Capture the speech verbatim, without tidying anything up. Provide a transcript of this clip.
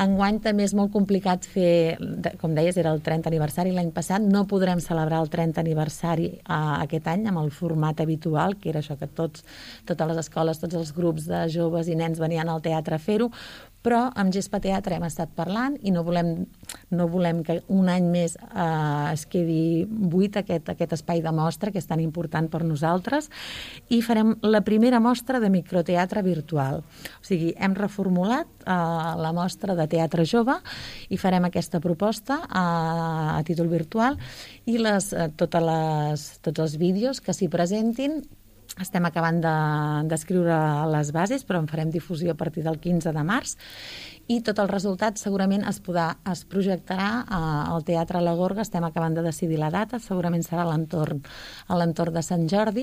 Enguany també és molt complicat fer, com deies, era el trentè aniversari l'any passat, no podrem celebrar el trentè aniversari uh, aquest any amb el format habitual, que era això que tots, totes les escoles, tots els grups de joves i nens venien al teatre a fer-ho, però amb Gespa Teatre hem estat parlant i no volem, no volem que un any més eh, es quedi buit aquest, aquest espai de mostra, que és tan important per nosaltres, i farem la primera mostra de microteatre virtual. O sigui, hem reformulat eh, la mostra de teatre jove i farem aquesta proposta a, a títol virtual i les, eh, totes les, tots els vídeos que s'hi presentin. Estem acabant d'escriure de, les bases, però en farem difusió a partir del quinze de març i tot el resultat segurament es, podrà, es projectarà al Teatre La Gorga. Estem acabant de decidir la data, segurament serà a l'entorn a l'entorn de Sant Jordi